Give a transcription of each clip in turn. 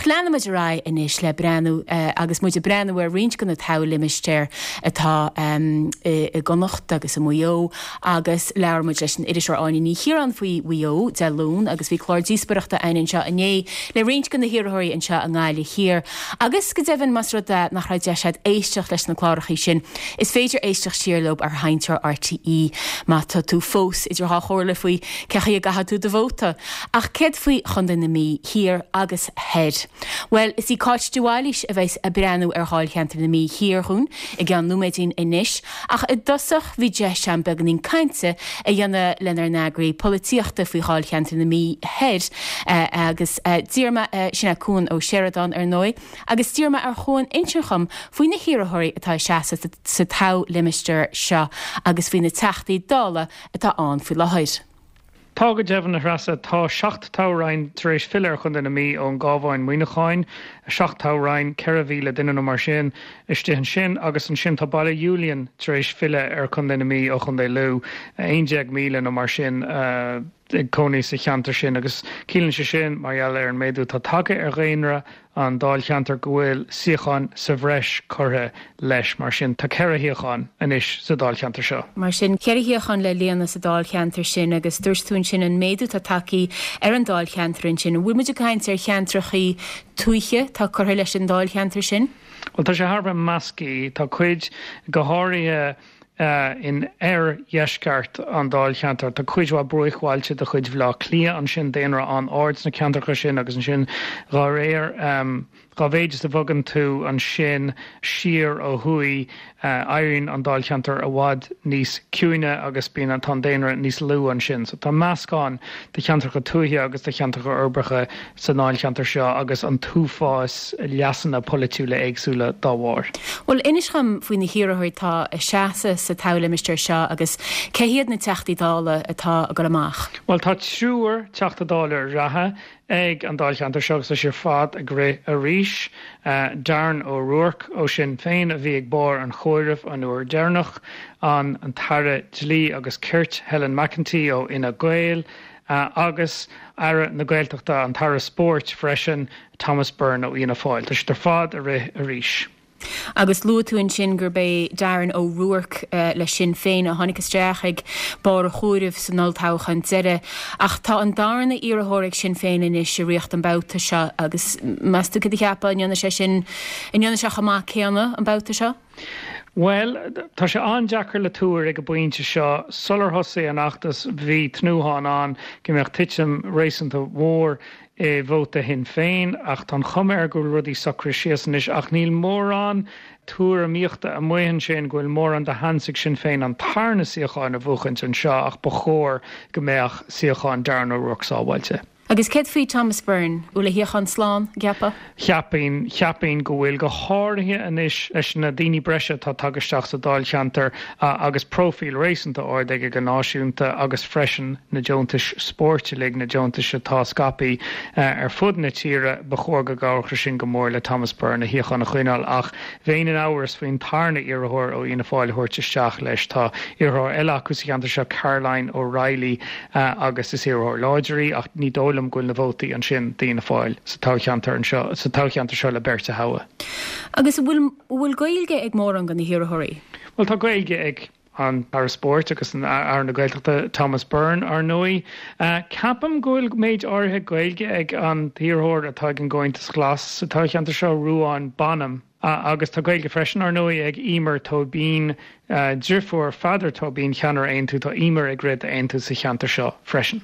Leanfaimid ar aghaidh anois le breathnú agus muid ag breathnú ar roinnt de na toghlimistéir atá i gConnacht agus i Maigh Eo agus labhair muid leis an iriseoir Áine Ní Chiaráin faoi Mhaigh Eo Dé Luain agus bhí clár díospóireachta againn anseo inné le roinnt de na hiarrthóirí anseo i nGaillimh Thiar agus go deimhin más rud é nach raibh deis agat éisteacht leis na clárachaí sin is féidir éisteacht siar leo ar Sheinnteoir RTÉ má tá tú fós idir dhá chomhairle faoi cé chaoi a gcaithfidh tú do vóta. Ach céard faoi Chontae na Mí Thiar agus Thoir? Bhuel, is í Cáit de Bhailís a bheas ag breathnú ar Dháilcheantar na Mí Thiar dhúinn i gceann nóiméidín anois, ach i dtosach bhí deis agam beagáinín cainte a dhéanamh lenár n-eagraí polaitíochta faoi Dháilcheantar na Mí Thoir agus d'iarr mé, sin é Cuan Ó Seireadáin ar ndóigh, agus d'iarr mé ar Chuan insint dhom faoi na hiarrthóirí atá ag seasamh sa toghlimistéar seo agus faoi na Teachtaí Dála atá ann faoi láthair. Tá go deimhin, a Threasa. Tá 7 toghroinn tar éis filleadh ar Chontae na Mí ón gCabhán Muineacháin, 7 toghroinn, 4,000 duine nó mar sin istigh ansin, agus ansin tá Baile Julian tar éis filleadh ar Chontae na Mí ó Chontae Lú, 11,000 nó mar sin ag cónaí sa cheantar sin agus ciallaíonn sé sin, mar gheall ar an méadú atá tagtha ar dhaonra an dáilcheantair go bhfuil suíocháin sa bhreis curtha leis. Mar sin, tá 4 shuíochán anois sa dáilcheantar seo. Mar sin, 4 shuíochán le líonadh sa dáilcheantar sin agus dúirt tú ansin an méadú atá tagtha ar an dáilcheantar ansin. An bhfuil muid ag caint ar cheantrachaí tuaithe atá curtha leis an dáilcheantar sin? Bhuel, tá sé thar a bheith measctha. Tá cuid, go háirithe, In oirdheisceart an dáilcheantair, tá cuid mhaith bruachbhailte de chuid Bhaile Átha Cliath ansin, daonra an-ard sna ceantracha sin agus ansin dá réir, dá mhéid is a bhogann tú ansin siar ó thuaidh, éiríonn an dáilcheantar i bhfad níos ciúine agus bíonn, tá an daonra níos lú ansin. So tá meascán de cheantracha tuaithe agus de cheantracha uirbeacha sa ndáilcheantar seo agus an t-uafás leasanna polaitiúla éagsúla dá bharr. Bhuel, inis dhom faoi na hiarrthóirí atá ag seasamh sa toghlimistéar seo agus cé hiad na Teachtaí Dála atá ag dul amach? Bhuel, tá triúr Teachta Dála reatha ag an dáilcheantar seo agus tá siad ar fad ag rith arís. Darren O'Rourke ó Sinn Féin a bhí ag barr an chomhairimh an uair dheireanach, an tAire Dlí agus Cirt Helen McEntee ó Fhine Gael, agus Aire na Gaeltachta, an tAire Spóirt freisin, Thomas Byrne ó Fhianna Fáil. Tá siad ar fad ag rith arís. Agus luaigh tú ansin gurb é Darren O'Rourke le Sinn Féin a tháinig isteach ag barr an chomhairimh san olltoghchán deiridh. Ach tá an darna iarrthóir ag Sinn Féin anois ag rith an babhta seo agus meas tú céard a cheapfá, an ndéanfaidh sé sin, an ndéanfaidh sé chomh maith céanna an babhta seo? Bhuel, tá sé an-deacair le tuar ag an bpointe seo. Sular thosaigh an fheachtas bhí tnúthán ann go mbeadh titim réasúnta mhór i vóta Shinn Féin ach tá an chuma air go bhfuil rudaí socraithe síos anois ach níl mórán tuairimíochta amuigh ansin go bhfuil mórán de sheans ag Sinn Féin an tarna suíochán a bhuachaint anseo ach ba chóir go mbeadh suíochán Darren O'Rourke sábháilte. Agus céard faoi Thomas Byrne? Bhfuil a shuíochán slán, an gceapfá? Cheapfainn, cheapfainn go bhfuil, go háirithe anois leis na daoine breise atá tagtha isteach sa dáilcheantar agus próifíl réasúnta ard aige go náisiúnta agus freisin na deontais spóirt uilig, na deontais atá scaipthe ar fud na tíre, ba chóir go gcabhródh sé sin go mór le Thomas Byrne a shuíochán a choinneáil ach bheinn in amhras faoin tarna iarrthóir ó Fhianna Fáil a thabhairt isteach leis. Tá iarrthóir eile acu sa cheantar seo, Caroline O'Reilly, agus is iarrthóir láidir í ach ní dóigh liom go bhfuil na vótaí ansin d'Fhianna Fáil sa toghcheantar anseo, sa toghcheantar seo le beirt a thoghadh. Agus an bhfuil, an bhfuil Gaeilge ag mórán de na hiarrthóirí? Bhuel, tá Gaeilge ag an Aire Spóirt agus an Aire na Gaeltachta, Thomas Byrne, ar ndóigh. Ceapaim go bhfuil méid áirithe Gaeilge ag an t-iarrthóir atá ag an gComhaontas Glas sa toghcheantar seo, Ruadhán Bonham. Agus tá Gaeilge freisin, ar ndóigh, ag Emer Tóibín, driofúr Pheadair Tóibín, ceannaire Aontú. Tá Emer ag rith d'Aontú sa cheantar seo freisin.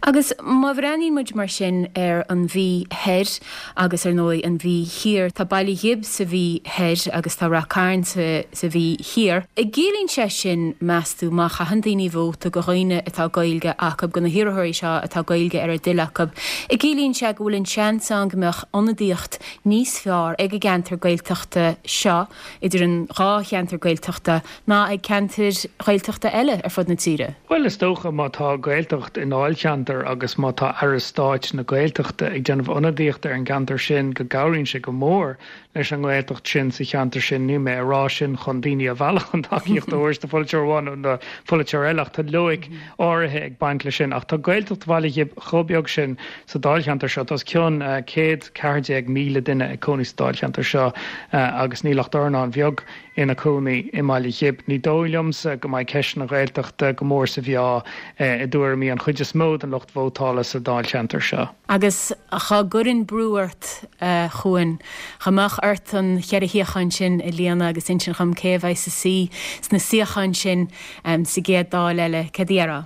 Agus má bhreathnaíonn muid mar sin ar an Mhí Thoir agus ar ndóigh an Mhí Thiar, tá Baile Ghib sa Mhí Thoir agus tá Rath Cairn sa Mhí Thiar. An gciallaíonn sé sin, meas tú, má chaitheann daoine vóta do dhaoine atá Gaeilge acu, do na hiarrthóirí seo atá Gaeilge ar a dtoil acu, an gciallaíonn sé go bhfuil an seans ann go mbeadh ionadaíocht níos fearr ag an gceantar Gaeltachta? Gaeltachta seo, idir an dhá cheantar Gaeltachta, ná ag ceantair Ghaeltachta eile ar fud na tíre? Bhuel, is dócha má tá Gaeltacht i ndáilcheantar agus má tá Aire Stáit na Gaeltachta ag déanamh ionadaíochta ar an gceantar sin go gcabhraíonn sé go mór leis an nGaeltacht sin sa cheantar sin. Níl mé ag rá sin chun daoine a mhealladh chun tacaíocht a thabhairt do pholaiteoir amháin nó do pholaiteoir eile ach tá loighic áirithe ag baint leis sin. Ach tá Gaeltacht Bhaile Ghib chomh beag sin sa dáilcheantar seo, tá os cionn 114,000 duine ag cónaí sa dáilcheantar seo agus níl ach dornán bheag ina cónaí i mBaile Ghib. Ní dóigh liomsa go mbeidh ceist na Gaeltachta go mór sa mheá i dtuairimí an chuid is mó den lucht vótála sa dáilcheantar seo. Agus dhá gcuirfinn brú ort, a Chuain, dhá mbeadh ort an cheithre shuíochán sin a líonadh agus insint dhom cé a bheidh sa suí sna suíocháin sin sa gcéad Dáil eile, céard a déarfá?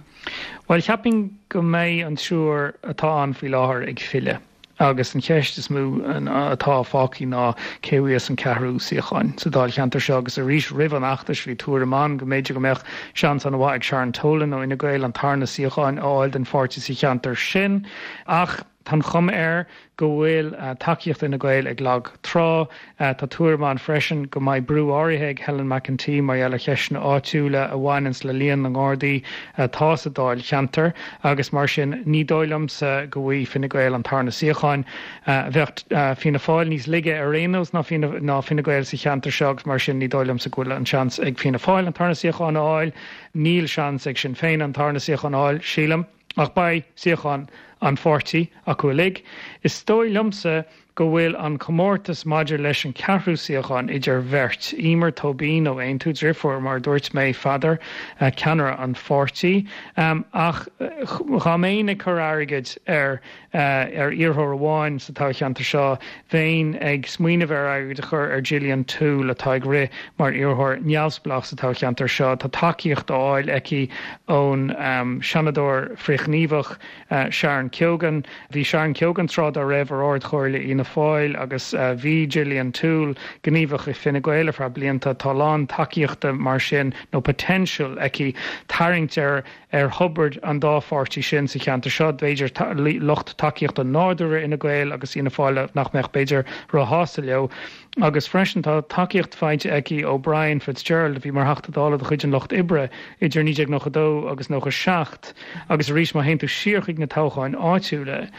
Bhuel, cheapfainn go mbeidh an triúr atá ann faoi láthair ag filleadh agus an cheist is mó atá fágtha ná cé a bhuafas an ceathrú suíochán sa dáilcheantar seo agus arís roimh an fheachtas bhí tuairim ann go mb'fhéidir go mbeadh seans an-mhaith ag Sharon Tolan ó Fhine Gael an tarna suíochán a fháil don pháirtí sa cheantar sin ach tá an chuma air go bhfuil tacaíocht Fhine Gael ag lag trá. Tá tuairim ann freisin go mbeidh brú áirithe ag Helen McEntee mar gheall ar cheisteanna áitiúla a bhaineanns le líon na nGardaí atá sa dáilcheantar agus mar sin ní dóigh liomsa go bhfaighidh Fine Gael an tarna suíochán. Bheadh Fianna Fáil níos laige ar aon nós ná Fine Gael sa cheantar seo agus mar sin ní dóigh liomsa go bhfuil an seans ag Fianna Fáil an tarna suíochán a fháil. Níl seans ag Sinn Féin an tarna suíochán a fháil, sílim. Ach beidh suíochán an pháirtí acu uilig. Is dóigh liomsa go bhfuil an comórtas maidir leis an ceathrú suíochán idir bheirt, Eimear Tóibín ó Aontú, driofúr, mar a dúirt mé, Pheadair, ceannaire an pháirtí. Ach dhá mbeinn ag cur airgid ar ar iarrthóir amháin sa toghcheantar seo, bheinn ag smaoineamh ar airgead a chur ar Gillian Toole atá ag rith mar iarrthóir neamhspleách sa toghcheantar seo. Tá tacaíocht á fháil aici ón Seanadóir frithghníomhach Sharon Keoghan. Bhí Sharon Keoghan tráth dá raibh ar Ard-Chomhairle Fhianna Fáil agus bhí Gillian Toole gníomhach i Fine Gael ar feadh blianta. Tá a lán tacaíochta mar sin, nó potential, aici tarraingt ar ar thobar an dá pháirtí sin sa cheantar seo, b'fhéidir lucht tacaíochta nádúrtha Fhine Gael agus Fhianna Fáil nach mbeadh b'fhéidir róshásta leo. Agus freisin tá tacaíocht faighte aici ó Brian Fitzgerald a bhí mar Theachta Dála de chuid an Lucht Oibre idir 1992 agus 97 agus arís má théann tú siar chuig na toghcháin áitiúla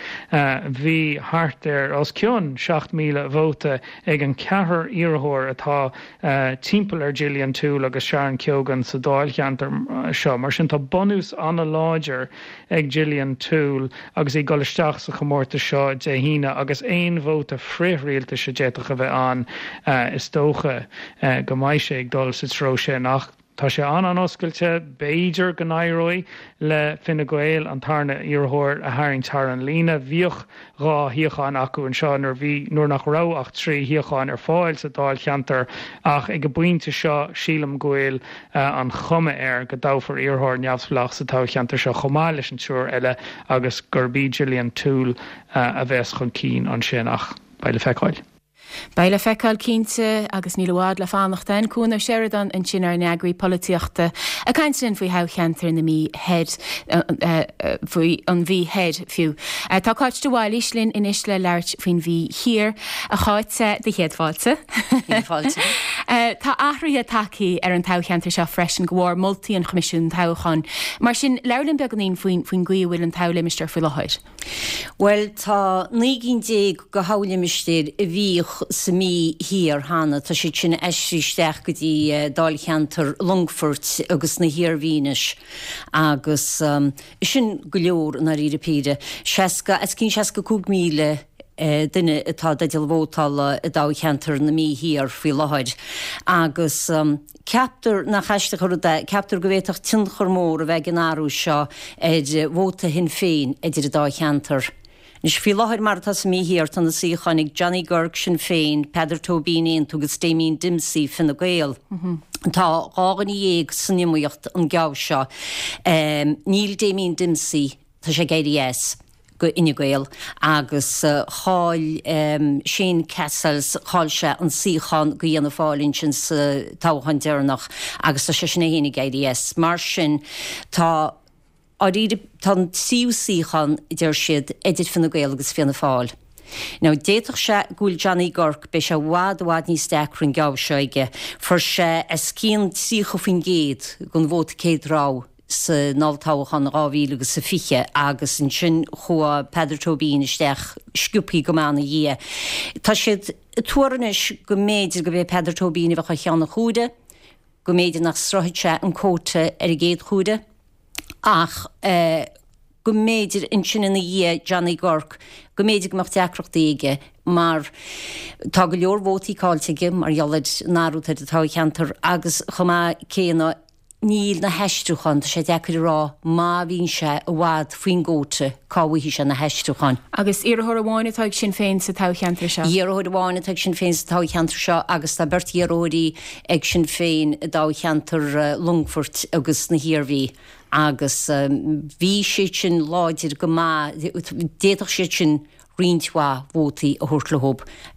bhí thart ar os cionn 7,000 vóta ag an ceathrar iarrthóir atá timpeall ar Gillian Toole agus Sharon Keoghan sa dáilcheantar seo. Mar sin tá bunús an-láidir ag Gillian Toole agus í ag dul isteach sa chomórtas seo Dé hAoine agus aon vóta frith-rialtais a d'fhéadfadh a bheith ann is dócha go mbeidh sé ag dul sa treo sin. Ach tá sé an-an-oscailte, b'fhéidir go n-éireoidh le Fine Gael an tarna iarrthóir a tharraingt thar an líne. Bhíodh 2 shuíochán acu anseo nuair bhí nuair nach raibh ach 3 shuíochán ar fáil sa dáilcheantar ach ag an bpointe seo sílim go bhfuil an chuma air go dtoghfar iarrthóir neamhspleách sa toghcheantar seo chomh maith leis an triúr eile agus gurb í Gillian Toole a bheas chun cinn ansin ach beidh le feiceáil. Beidh le feiceáil cinnte, agus níl i bhfad le fanacht ann. Cuan Ó Seireadáin ansin ár n-eagraí polaitíochta ag caint linn faoi thoghcheantar na Mí Thoir, faoi an Mhí Thoir fiú. Tá Cáit de Bhailís linn anois le labhairt faoin Mhí Thiar. A Cháit, do chéad fáilte. Céad fáilte. Tá athruithe tagtha ar an toghcheantar seo freisin de bharr moltaí an Choimisiúin Toghcháin. Mar sin, labhair linn beagáinín faoin gcaoi a bhfuil an toghlimistéar faoi láthair. Bhuel, tá 19 gcinn de thoghlimistéir a bhíodh sa Mhí Thiar cheana, tá siad sin aistrithe isteach go dtí dáilcheantar Longfoirt agus na hIarmhí anois agus sin go leor i ndáiríre píre. 60, os cionn 65,000 duine atá i dteideal vótála i dtoghcheantar na Mí Thiar faoi láthair agus. Ceaptar, nach aisteach an rud é, ceaptar go bhféadfadh tionchar mór a bheith ag an athrú seo ar vóta Shinn Féin idir an dá cheantar. Anois, faoi láthair, mar atá sa Mí Thiar, tá na suíocháin ag Johnny Guirke, Sinn Féin, Peadar Tóibín, Aontú, agus Damien Dempsey, Fine Gael. Tá 12 dhuine san iomaíocht an geábh seo. Níl Damien Dempsey. Tá sé ag éirí as go Fhine Gael agus chaill Shane Cassells, chaill sé an suíochán go Fhianna Fáil ansin sa toghchán deireanach agus tá seisean é féin ag éirí as. Mar sin tá, dáiríre, tá an tríú suíochán, deir siad, idir Fine Gael agus Fianna Fáil. Now, d'fhéadfadh sé go bhfuil Johnny Guirke, beidh sé i bhfad, i bhfad níos deacra an geábh seo aige. Fuair sé os cionn 30% den vóta céad rogha san olltoghchán in 2020 agus ansin chuaigh Peadar Tóibín isteach sciobthaí go maith ina dhiaidh. Tá siad ag tuar anois go mb'fhéidir gurb é Peadar Tóibín a bheadh ar cheann an chomhairimh, go mb'fhéidir nach sroichfeadh sé an quota ar an gcéad chomhaireamh ach go mb'fhéidir ansin ina dhiaidh Johnny Guirke, go mb'fhéidir go mbeadh deacrachtaí aige mar tá go leor vótaí caillte aige mar gheall ar an athrú atá ar an toghcheantar agus chomh maith céanna Níl na haistriúcháin, tá sé deacair a rá má bhíonn sé i bhfad faoin gcóta cá bhfaighidh sé na haistriúcháin. Agus iarrthóir amháin atá ag Sinn Féin sa toghcheantar seo? Iarrthóir amháin atá ag Sinn Féin sa toghcheantar seo agus tá beirt iarrthóirí ag Sinn Féin i dtoghcheantar Longfoirt agus na hIarmhí agus bhí siad sin láidir go maith, d'fhéadfadh siad sin roinnt mhaith vótaí a thabhairt leo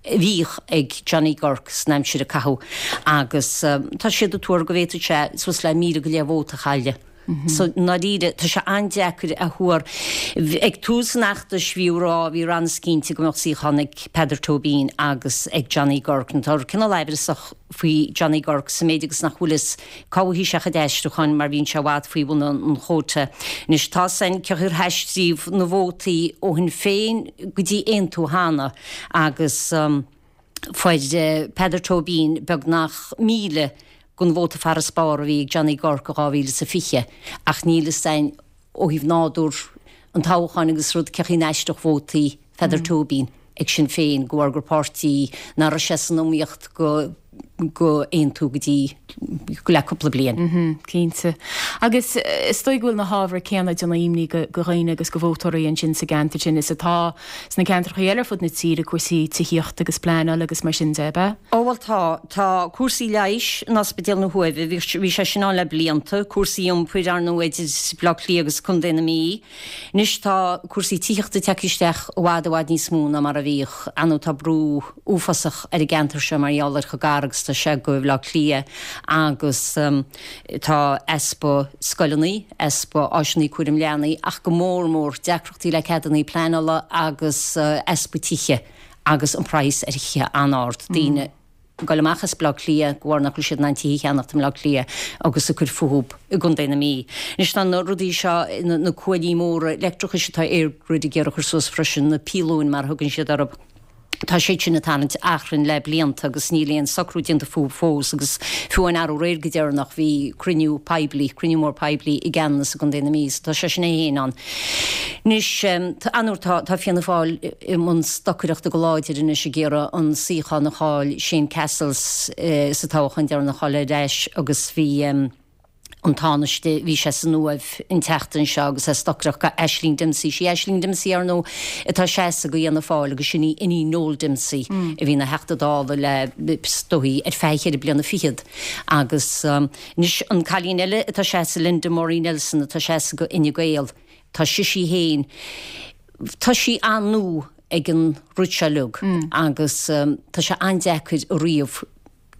a bhíodh ag Johnny Guirke san aimsir a caitheadh agus tá siad ag tuar go bhféadfadh sé suas le 1,000 go leith vóta a chailleadh. So, i ndáiríre, tá sé an-deacair a thuar. Ag tús an fheachtais bhí a rá, bhí an-chinnte go mbeadh suíochán ag Peadar Tóibín agus ag Johnny Guirke. Tá cineál aimhreasach faoi Johnny Guirke sa méid agus nach bhfuil fhios cá bhfaighidh sé a chuid aistriúcháin mar bhíonn sé i bhfad faoi bhun an chóta. Anois tá 'fhios a'inn cén chaoi ar haistríodh na vótaí ó Shinn Féin go dtí Aontú cheana agus fuair Peadar Tóibín beagnach 1,000 den vóta farasbarr a bhí ag Johnny Guirke i 2020 ach níl 'fhios a'inn ó thaobh nádúr an toghcháin agus rud cén chaoi a n-aistreodh vótaí Pheadar Tóibín ag Sinn Féin de bharr gur páirtí nach raibh sé san iomaíocht go go Aontú go dtí go le cúpla bliain. Cinnte. Agus is dóigh go bhfuil na hábhair céanna ag déanamh imní go dhaoine agus go vótóirí ansin sa gceantar sin is atá sna ceantracha eile ar fud na tíre, cúrsaí tithíochta agus pleanáil agus mar sin de, ab ea? Ó bhuel tá. Tá cúrsaí leighis in Ospidéal na hUaimhe, bhí sé sin ann le blianta, cúrsaí iompair, ar ndóigh, idir Baile Átha Cliath agus Contae na Mí. Anois tá cúrsaí tithíochta tagtha isteach i bhfad i bhfad níos mó ná mar a bhíodh. Ar ndóigh tá brú uafásach ar an gceantar seo mar gheall ar chomh gar agus atá sé go Bhaile Átha Cliath agus tá easpa scoileanna, easpa áiseanna cúraim leanaí ach go mór mór deacrachtaí le ceadanna pleanála agus easpa tithe agus an praghas ar thithe an-ard. Daoine. ag goil amach as Baile Átha Cliath de bharr nach bhfuil siad in ann tithe a cheannacht i mBaile Átha Cliath agus ag cur fúthu i gContae na Mí. Anois tá na rudaí seo, na cuaillí móra leictreachais atá EirGrid ag iarraidh a chur suas freisin, na píolóin mar a thugann siad orthu, tá siad sin ag tarraingt achrainn le blianta agus níl aon socrú déanta fúthu fós agus fiú amháin arú aréir go deireanach bhí cruinniú poiblí, cruinniú mór poiblí i gCeanannas i gContae na Mí so tá sé sin é féin ann. Anois, ar ndóigh tá, tá Fianna Fáil i mbun stocaireachta go láidir anois ag iarraidh an suíochán a chaill Shane Cassells sa toghchán deireanach a fháil ar ais agus bhí an Tánaiste, bhí sé san Uaimh an tseachtain seo agus é ag stocaireacht do Aisling Dempsey. Sí Aisling Dempsey, ar ndóigh, atá ag seasamh do Fhianna Fáil agus sin í iníon Noel Dempsey a bhí ina Theachta Dála le, is dóigh, ar feadh cheithre bliana fichead. Agus anois an cailín eile atá ag seasamh, Linda Murray Nelson, atá ag seasamh do Fhine Gael, tá sise féin, tá sí an-nua ag an rud seo uilig agus tá sé an-deacair a ríomh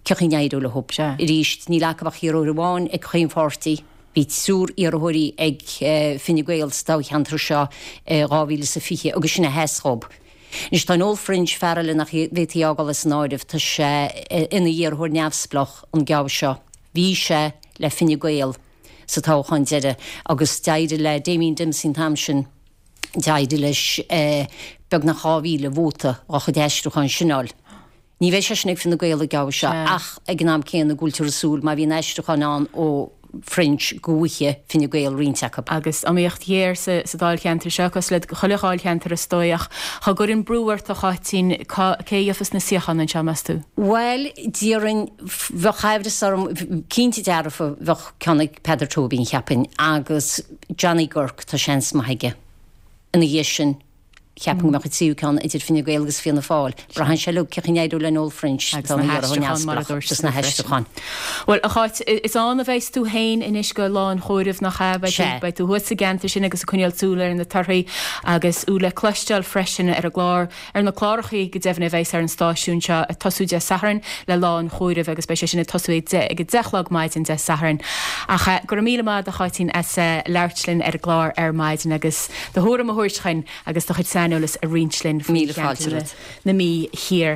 cén chaoi a n-éireoidh leo. Arís, níl acu ach iarrthóir amháin ag chaon pháirtí. Bhí triúr iarrthóirí ag Fine Gael sa toghcheantar seo i 2020 agus sin a sheas dhób. Anois tá Noel French, fear eile nach bhféadfaí a fhágáil as an áireamh, tá sé ina iarrthóir neamhspleách an geábh seo. Bhí sé le Fine Gael sa toghchán deiridh agus d'éirigh le Damien Dempsey an t-am sin, d'éirigh leis beagnach 2,000 vóta dá chuid aistriúcháin sin a fháil. Ní bheidh sé sin ag Fine Gael an geábh seo ach ag an am céanna go bhfuiltear ag súil má bhíonn aistriúcháin ann ó French go bhfaighidh Fine Gael roinnt acu. Agus iomaíocht ghéar sa dáilcheantar seo, cosúil le chuile dháilcheantar is dóigh, ach dhá gcuirfinn brú ort a Cháitín, cá, cé a gheofas na suíocháin anseo, meas tú? Bhuel, déarfainn, bheadh aimhreas orm, cinnte dearfa bheadh ceann ag Peadar Tóibín, cheapfainn, agus Johnny Guirke, tá seans maith aige. Ina dhiaidh sin, cheapfainn go mbeadh an tríú ceann idir Fine Gael agus Fianna Fáil. Braitheann sé uilig cén chaoi a n-éireoidh le Noel French, Agus na haistriúcháin, mar a dúirt agus na haistriúcháin. Bhuel, a Cháit, is ann a bheas tú féin anois go lá an chomhairimh, nach ea? Beidh tú, beidh tú thuas sa gceantar sin agus ag coinneáil súil ar na torthaí agus thú le cloisteáil freisin ar an gclár, ar na clárachaí go deimhin a bheas ar an stáisiún seo ag tosú Dé Sathairn le lá an chomhairimh agus beidh sé sin ag tosú ag ag a 10 a chlog maidin Dé Sathairn. Ach go raibh míle maith agat a Cháitín as labhairt linn ar an gclár ar maidin agus do thuairim a thabhairt chugainn agus do chuid saineolais. saineolas a roinnt linn faoi Míle fáilte cheantar romhat. na Mí Thiar.